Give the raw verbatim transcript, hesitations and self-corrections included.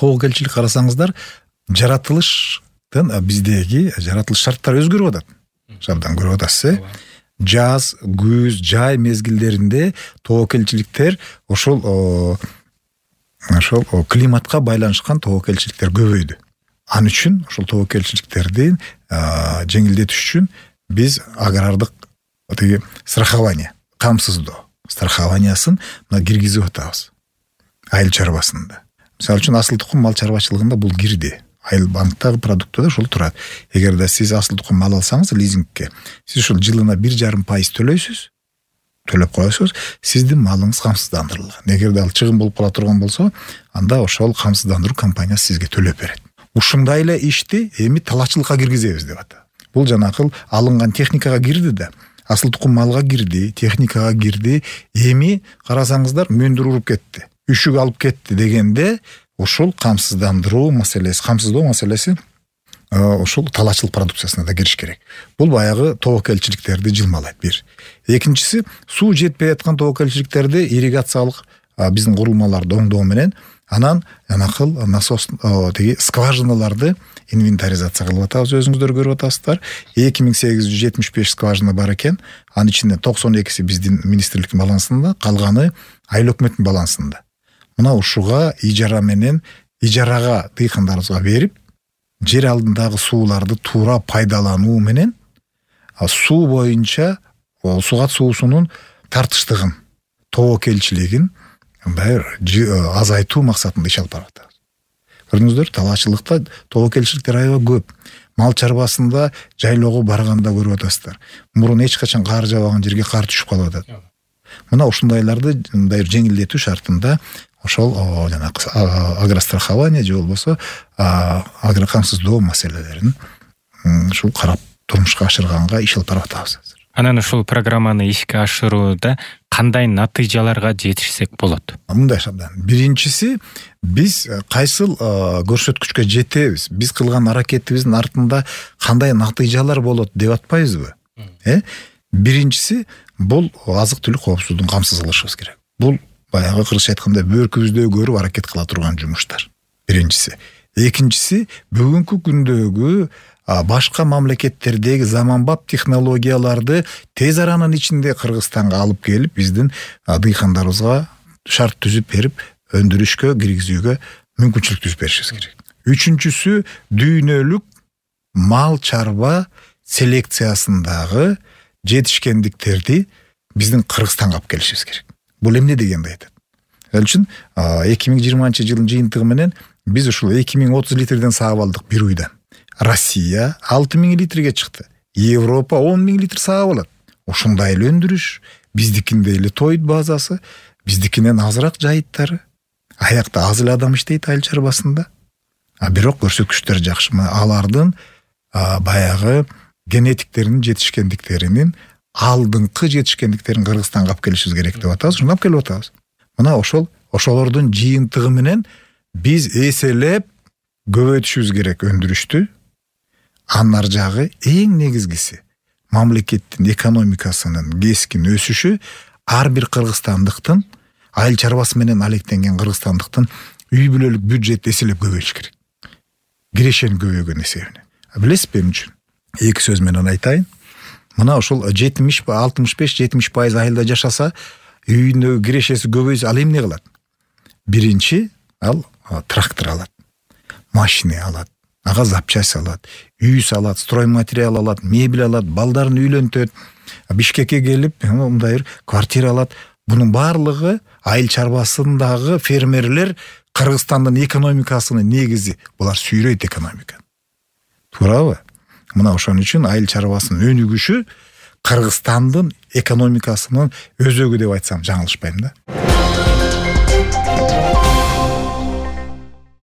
тоок элчилик карасаңыздар, жаратылыштын биздеги жаратылыш шарттары өзгөрүп атат. Жабдан көрүп атасыз, э? Жаз, күз, жай мезгилдеринде тоок элчиликтер ошол ошол климатка байланышкан тоок элчиликтер көбөйдү. Ал үчүн ошол тоок элчиликтерди жеңилдетиш үчүн биз агрардык тиги страхование, камсыздоо страхованиясын мына киргизип атабыз. Айыл чарбасында. Мисалы үчүн асыл тукум мал чарбачылыгында бул кирди. Айыл банктагы продуктта ошол турат. Эгерде сиз асыл тукум мал алсаңыз лизингке, сиз ошол жылына бир жарым пайыз төлөйсүз. Төлөп коесуз, сиздин малыңыз камсыздандырылган. Эгерде ал чыгым болуп кала турган болсо, анда ошол камсыздандыруу компаниясы сизге төлөп берет. Ушундай эле ишти эми талачылыкка киргизебиз деп атат. Бул жанакыл алынган техникага кирди да, асыл тукум малга кирди, техникага кирди. Эми карасаңыздар мөндүр уруп кетти, үшүк алып кетти дегенде ошол камсыздандыруу маселеси, камсыздоо маселеси ошол талачылык продукциясына да кириш керек. Бул баягы тоок элчиликтерди жылмалайт бир. Экинчиси, суу жетпей аткан тоок элчиликтерди ирригациялык биздин курулмаларды оңдоо менен анан жанакыл насос тиги скважиналарды инвентаризация кылып атабыз, өзүңүздөр көрүп атасыздар. эки миң сегиз жүз жетимиш беш скважина бар экен. Анын ичинде токсон экиси биздин министрликтин балансында, калганы айыл өкмөттүн балансында. Мына ушуга ижара менен ижарага дыйкандарыбызга берип, жер алдындагы сууларды туура пайдалануу менен суу боюнча сугат суусунун тартыштыгын, тоок элчилигин азайтуу максатында иш алып барып атабыз. Көрдүңүздөр, талаачылыкта тоок элчиликтер аябай көп. Мал чарбасында жайлоого барганда көрүп атасыздар. Мурун эч качан кар жабаган жерге кар түшүп калып атат. Мына ушундайларды мындай жеңилдетүү шартында ошол жанагы агрострахование же болбосо агрокамсыздоо маселелерин ушул карап турмушка ашырганга иш алып барып атабыз. Анан ушул программаны ишке ашырууда кандай натыйжаларга жетишсек болот? Мындай шабдан. Биринчиси, биз кайсыл көрсөткүчкө жетебиз, биз кылган аракетибиздин артында кандай натыйжалар болот деп атпайбызбы? Э? Биринчиси, бул азык-түлүк коопсуздугун камсыз кылышыбыз керек. Бул баягы кыргызча айтканда бөркүбүздө көрүп аракет кыла турган жумуштар. Биринчиси. Экинчиси, бүгүнкү күндөгү башка мамлекеттердеги заманбап технологияларды тез аранын ичинде Кыргызстанга алып келип, биздин дыйкандарыбызга шарт түзүп берип, өндүрүшкө киргизүүгө мүмкүнчүлүк түзүп беришибиз керек. Үчүнчүсү, дүйнөлүк мал чарба селекциясындагы жетишкендиктерди биздин Кыргызстанга алып келишибиз керек. Бул эмне дегенди айтат? Ал үчүн эки миң жыйырманчы жылдын жыйынтыгы менен биз ушул эки миң отуз литрден саап алдык бир уйдан. Россия алты миң литрге чыкты. Европа он миң литр саап алат. Ушундай эле өндүрүш, биздикиндей эле тойт базасы, биздикинен азыраак жайыттары. Аякта аз эле адам иштейт айыл чарбасында. А бирок көрсөткүчтөр жакшы. Алардын баягы генетиктеринин жетишкендиктеринин алдыңкы жетишкендиктерин Кыргызстанга алып келишибиз керек деп атабыз. Шуну алып келип атабыз. Мына ошол ошолордун жыйынтыгы менен биз эселеп көбөйтүшүбүз керек өндүрүштү. Анар жагы эң негизгиси мамлекеттин экономикасынын кескин өсүшү ар бир кыргызстандыктын айыл чарбасы менен алектенген кыргызстандыктын үй бүлөлүк бюджет эселеп көбөйүш керек. Кирешенин көбөйгөн эсебинен. Билесизби эмне үчүн? Эки сөз менен айтайын. Мына ошол жетимиш алтымыш беш жетимиш пайыз айылда жашаса, үйүндөгү кирешеси көбөйсө, ал эмне кылат? Биринчи, ал трактор алат, машина алат, ага запчасть алат, үй салат, стройматериал алат, мебель алат, балдарын үйлөнтөт, Бишкекке келип, мындай бир квартира алат. Бунун баардыгы айыл чарбасындагы фермерлер Кыргызстандын экономикасынын негизи. Булар сүйрөйт экономиканы. Туурабы? Мына ошон үчүн айыл чарбасынын өнүгүшү Кыргызстандын экономикасынын өзөгү деп айтсам жаңылышпайм да.